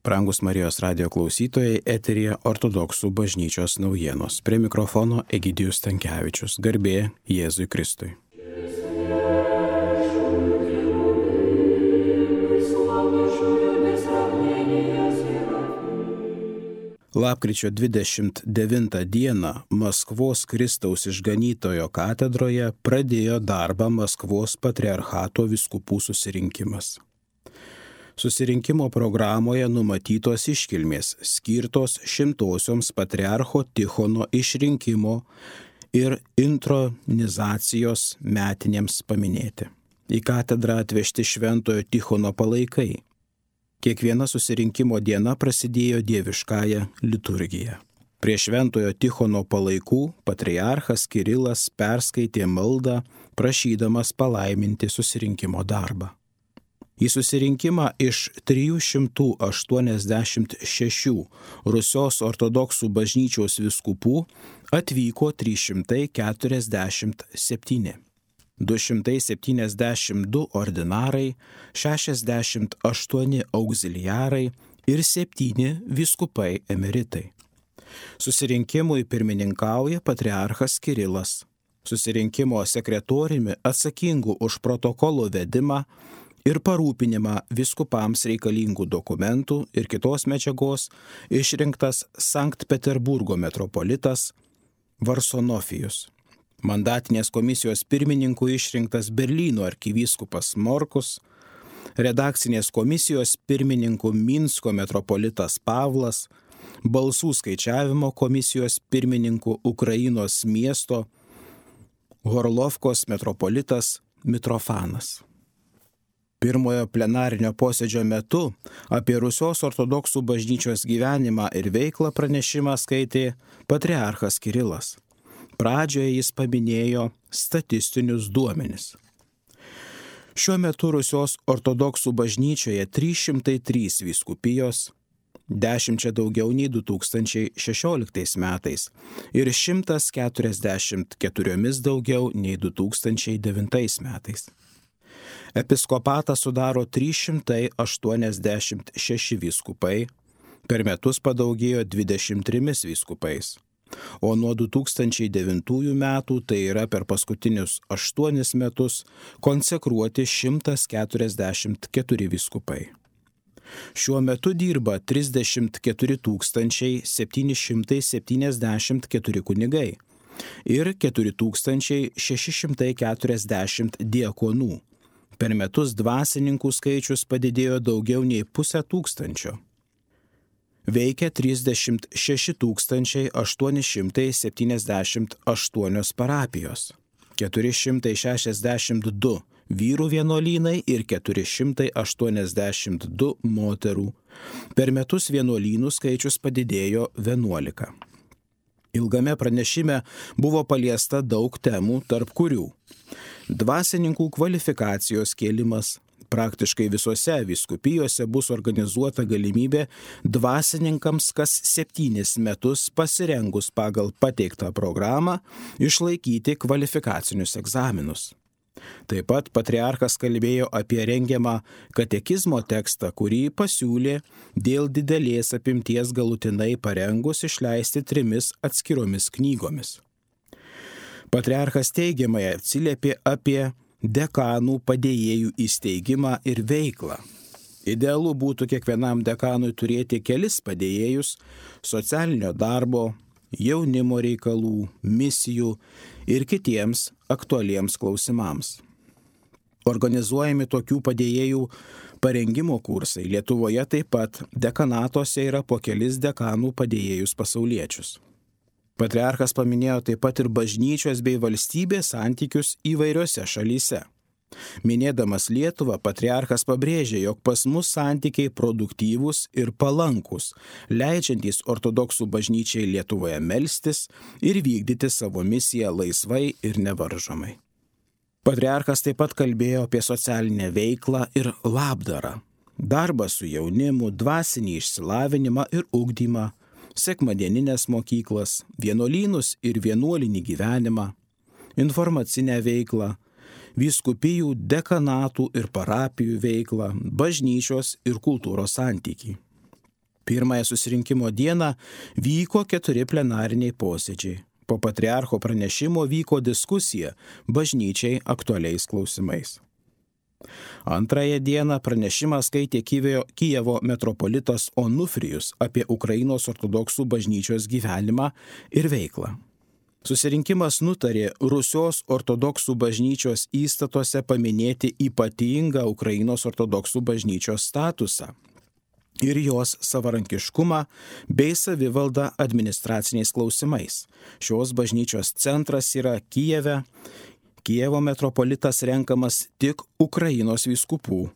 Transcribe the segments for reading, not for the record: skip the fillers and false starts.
Brangus Marijos radijo klausytojai, eteryje Ortodoksų bažnyčios naujienos. Prie mikrofono Egidijus Stankevičius. Garbė Jėzui Kristui. Lapkričio 29 dieną Maskvos Kristaus Išganytojo katedroje pradėjo darbą Maskvos patriarchato vyskupų susirinkimas. Susirinkimo programoje numatytos iškilmės skirtos 100-osioms patriarcho Tichono išrinkimo ir intronizacijos metinėms paminėti. Į katedrą atvežti šventojo Tichono palaikai. Kiekviena susirinkimo diena prasidėjo dieviškąja liturgija. Prie šventojo Tichono palaikų patriarchas Kirilas perskaitė maldą, prašydamas palaiminti susirinkimo darbą. Į susirinkimą iš 386 Rusios ortodoksų bažnyčios vyskupų atvyko 347, 272 ordinarai, 68 auxiliarai ir 7 vyskupai emeritai. Susirinkimui pirmininkauja patriarchas Kirilas. Susirinkimo sekretoriumi atsakingu už protokolo vedimą ir parūpinimą vyskupams reikalingų dokumentų ir kitos medžiagos išrinktas Sankt Peterburgo metropolitas Varsonofijus. Mandatinės komisijos pirmininku išrinktas Berlyno arkivyskupas Morkus, redakcinės komisijos pirmininku Minsko metropolitas Pavlas, balsų skaičiavimo komisijos pirmininku Ukrainos miesto Horlovkos metropolitas Mitrofanas. Pirmojo plenarinio posėdžio metu apie Rusios ortodoksų bažnyčios gyvenimą ir veiklą pranešimą skaitė patriarchas Kirilas. Pradžioje jis paminėjo statistinius duomenis. Šiuo metu Rusios ortodoksų bažnyčioje 303 vyskupijos, 10 daugiau nei 2016 metais ir 144 daugiau nei 2009 metais. Episkopatą sudaro 386 vyskupai, per metus padaugėjo 23 vyskupais, o nuo 2009 metų, tai yra per paskutinius 8 metus, konsekruoti 144 vyskupai. Šiuo metu dirba 34 774 kunigai ir 4640 diakonų. Per metus dvasininkų skaičius padidėjo daugiau nei 500. Veikia 36 878 parapijos, 462 vyrų vienuolynai ir 482 moterų. Per metus vienuolynų skaičius padidėjo 11. Ilgame pranešime buvo paliesta daug temų, tarp kurių dvasininkų kvalifikacijos kėlimas. Praktiškai visose vyskupijose bus organizuota galimybė dvasininkams kas 7 metus pasirengus pagal pateiktą programą išlaikyti kvalifikacinius egzaminus. Taip pat patriarchas kalbėjo apie rengiamą katekizmo tekstą, kurį pasiūlė dėl didelės apimties galutinai parengus išleisti 3 atskiromis knygomis. Patriarchas teigiamai atsiliepė apie dekanų padėjėjų įsteigimą ir veiklą. Idealu būtų kiekvienam dekanui turėti kelis padėjėjus socialinio darbo, jaunimo reikalų, misijų ir kitiems aktualiems klausimams. Organizuojami tokių padėjėjų parengimo kursai. Lietuvoje taip pat dekanatuose yra po kelis dekanų padėjėjus pasauliečius. Patriarchas paminėjo taip pat ir bažnyčios bei valstybės santykius įvairiose šalyse. Minėdamas Lietuvą, patriarchas pabrėžė, jog pas mus santykiai produktyvūs ir palankus, leidžiantys ortodoksų bažnyčiai Lietuvoje melstis ir vykdyti savo misiją laisvai ir nevaržomai. Patriarchas taip pat kalbėjo apie socialinę veiklą ir labdarą, darbą su jaunimu, dvasinį išsilavinimą ir ugdymą, sekmadieninės mokyklas, vienuolynus ir vienuolinį gyvenimą, informacinę veiklą, vyskupijų, dekanatų ir parapijų veiklą, bažnyčios ir kultūros santykį. Pirmąją susirinkimo dieną vyko 4 plenariniai posėdžiai. Po patriarcho pranešimo vyko diskusija bažnyčiai aktualiais klausimais. Antrąją dieną pranešimą skaitė Kijevo metropolitas Onufrijus apie Ukrainos ortodoksų bažnyčios gyvenimą ir veiklą. Susirinkimas nutarė Rusios ortodoksų bažnyčios įstatuose paminėti ypatingą Ukrainos ortodoksų bažnyčios statusą ir jos savarankiškumą bei savivaldą administraciniais klausimais. Šios bažnyčios centras yra Kijeve. Kijevo metropolitas renkamas tik Ukrainos vyskupų.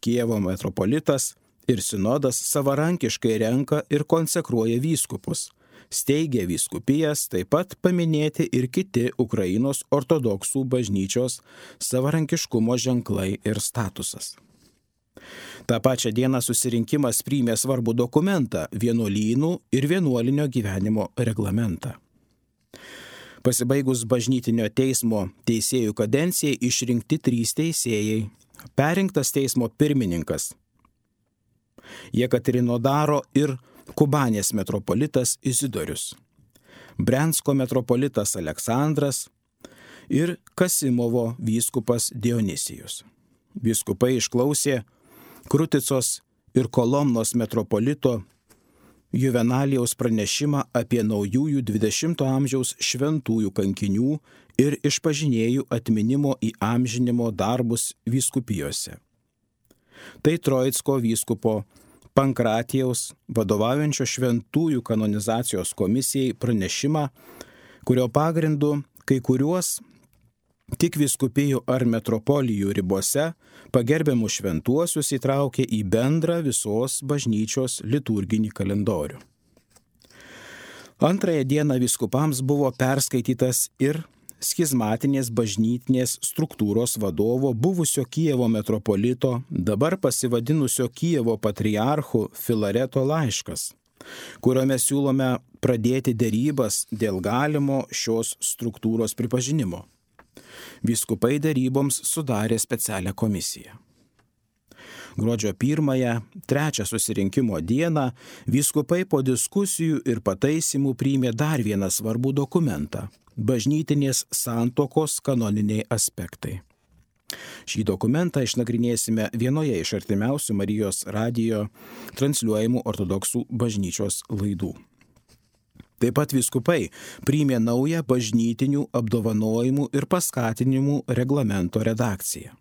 Kijevo metropolitas ir sinodas savarankiškai renka ir konsekruoja vyskupus. Steigia vyskupijas, taip pat paminėti ir kiti Ukrainos ortodoksų bažnyčios savarankiškumo ženklai ir statusas. Ta pačią dieną susirinkimas priėmė svarbų dokumentą – vienuolynų ir vienuolinio gyvenimo reglamentą. Pasibaigus bažnytinio teismo teisėjų kadencijai išrinkti 3 teisėjai, perrinktas teismo pirmininkas Jekaterinodaro ir Kubanės metropolitas Izidorius, Brensko metropolitas Aleksandras ir Kasimovo vyskupas Dionisijus. Vyskupai išklausė Kruticos ir Kolomnos metropolito Juvenalijaus pranešimą apie naujųjų 20 amžiaus šventųjų kankinių ir išpažinėjų atminimo įamžinimo darbus vyskupijose. Tai Troitsko vyskupo Pankratijaus vadovaujančio šventųjų kanonizacijos komisijai pranešimą, kurio pagrindu kai kuriuos tik vyskupijų ar metropolijų ribose pagerbiamų šventuosius įtraukė į bendrą visos bažnyčios liturginį kalendorių. Antrąją dieną vyskupams buvo perskaitytas ir schizmatinės bažnytinės struktūros vadovo buvusio Kijevo metropolito, dabar pasivadinusio Kijevo patriarchu Filareto laiškas, kuriuo mes siūlome pradėti derybas dėl galimo šios struktūros pripažinimo. Vyskupai deryboms sudarė specialią komisiją. Gruodžio 1-3 susirinkimo dieną vyskupai po diskusijų ir pataisimų priėmė dar vieną svarbų dokumentą – bažnytinės santuokos kanoniniai aspektai. Šį dokumentą išnagrinėsime vienoje iš artimiausių Marijos radijo transliuojamų ortodoksų bažnyčios laidų. Taip pat vyskupai priėmė naują bažnytinių apdovanojimų ir paskatinimų reglamento redakciją.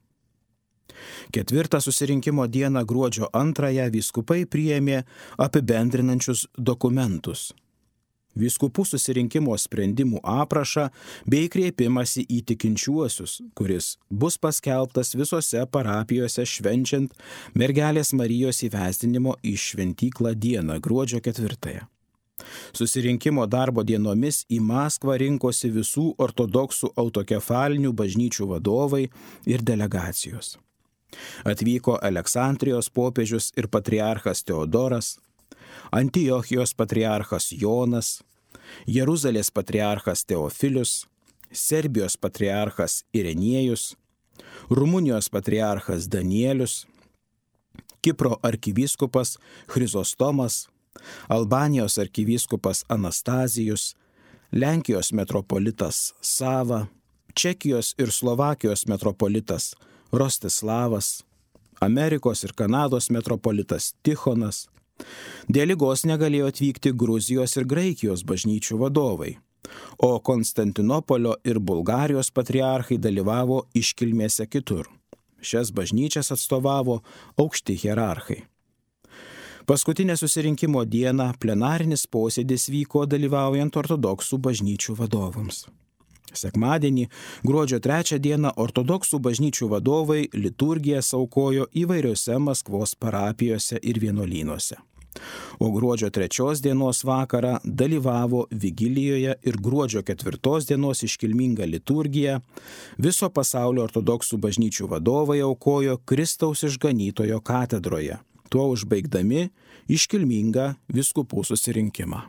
4 susirinkimo dieną gruodžio 2 vyskupai priėmė apibendrinančius dokumentus. Vyskupų susirinkimo sprendimų aprašą bei kreipimąsi į tikinčiuosius, kuris bus paskelbtas visose parapijose švenčiant Mergelės Marijos įvesdinimo į šventyklą dieną gruodžio 4. Susirinkimo darbo dienomis į Maskvą rinkosi visų ortodoksų autokefalinių bažnyčių vadovai ir delegacijos. Atvyko Aleksandrijos popiežius ir patriarchas Teodoras, Antiochijos patriarchas Jonas, Jeruzalės patriarchas Teofilius, Serbijos patriarchas Irenėjus, Rumunijos patriarchas Danielius, Kipro arkivyskupas Chrizostomas, Albanijos arkivyskupas Anastazijus, Lenkijos metropolitas Sava, Čekijos ir Slovakijos metropolitas Rostislavas, Amerikos ir Kanados metropolitas Tichonas. Dėl ligos negalėjo atvykti Gruzijos ir Graikijos bažnyčių vadovai, o Konstantinopolio ir Bulgarijos patriarchai dalyvavo iškilmėse kitur. Šias bažnyčias atstovavo aukšti hierarchai. Paskutinę susirinkimo dieną plenarinis posėdis vyko dalyvaujant ortodoksų bažnyčių vadovams. Sekmadienį, gruodžio 3 dieną, ortodoksų bažnyčių vadovai liturgiją aukojo įvairiose Maskvos parapijose ir vienuolynuose. O gruodžio 3 dienos vakarą dalyvavo vigilijoje ir gruodžio 4 dienos iškilmingą liturgiją viso pasaulio ortodoksų bažnyčių vadovai aukojo Kristaus išganytojo katedroje, tuo užbaigdami iškilmingą vyskupų susirinkimą.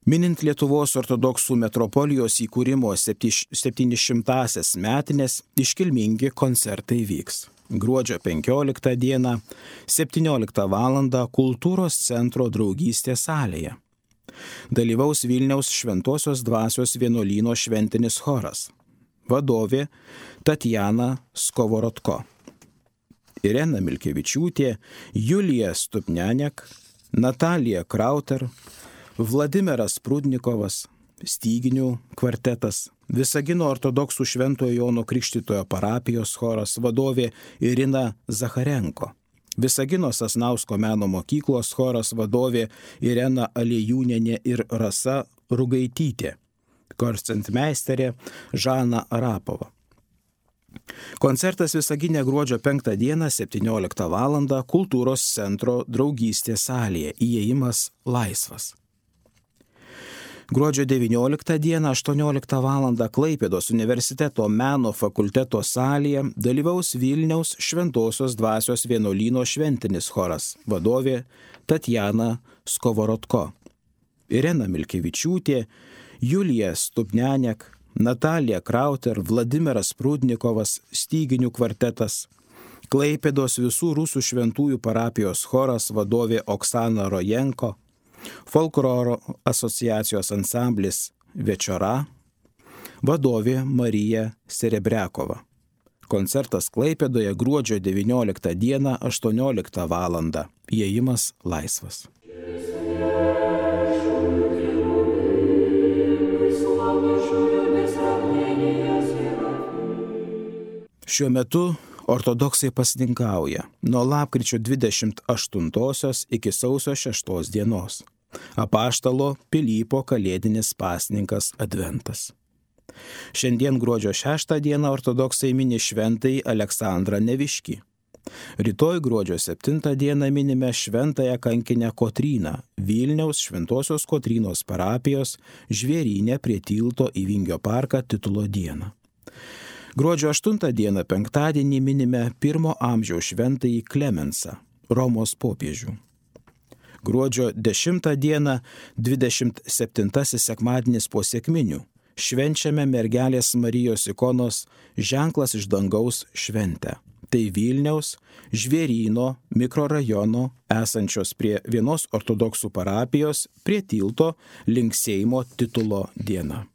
Minint Lietuvos ortodoksų metropolijos įkūrimo 700-asias metinės, iškilmingi koncertai vyks. Gruodžio 15 dieną 17 val. Kultūros centro draugystės salėje. Dalyvaus Vilniaus Šventosios dvasios vienuolyno šventinis choras. Vadovė Tatjana Skovorodko. Irena Milkevičiūtė, Julija Stupnianiak, Natalija Krauter, Vladimiras Prudnikovas, Styginių kvartetas, Visagino ortodoksų Šventojo Jono Krikštytojo parapijos choras, vadovė Irina Zacharenko, Visagino Sasnausko meno mokyklos choras, vadovė Irena Aliejūnienė ir Rasa Rugaitytė, koncertmeisterė Žana Arapova. Koncertas Visagine gruodžio 5 dieną 17 val. Kultūros centro draugystės salėje, įėjimas laisvas. Gruodžio 19 dieną 18 val. Klaipėdos universiteto meno fakulteto salėje dalyvaus Vilniaus Šventosios dvasios vienuolyno šventinis choras, vadovė Tatjana Skovorodko, Irena Milkevičiūtė, Julija Stupnianiak, Natalija Krauter, Vladimiras Prudnikovas, Styginių kvartetas, Klaipėdos visų rusų šventųjų parapijos choras, vadovė Oksana Rojenko, Folkloro asociacijos ansamblis Večora, vadovė Marija Serebriakova. Koncertas Klaipėdoje gruodžio 19 dieną 18 val. Įėjimas laisvas. Šiuo metu ortodoksai pasninkauja nuo lapkričio 28 iki sausio 6 dienos. Apaštalo Pilypo kalėdinis pasninkas Adventas. Šiandien gruodžio 6 dieną ortodoksai mini šventąjį Aleksandrą Neviškį. Rytoj gruodžio 7 dieną minime šventąją kankinę Kotryną, Vilniaus Šventosios Kotrynos parapijos Žvėryne prie tilto į Vingio parką titulo dieną. Gruodžio 8 dieną penktadienį minime 1 amžiaus šventąjį Klemensą, Romos popiežių. Gruodžio 10 dieną 27 sekmadienis po sekminių švenčiame mergelės Marijos ikonos Ženklas iš dangaus šventę. Tai Vilniaus Žvėryno mikrorajono esančios prie vienos ortodoksų parapijos prie tilto link Seimo titulo diena.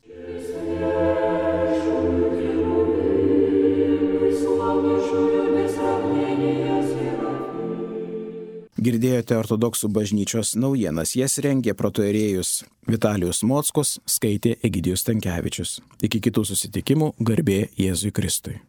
Girdėjote ortodoksų bažnyčios naujienas, jas rengė protoierėjus Vitalijus Mockus, skaitė Egidijus Stankevičius. Iki kitų susitikimų, garbė Jėzui Kristui.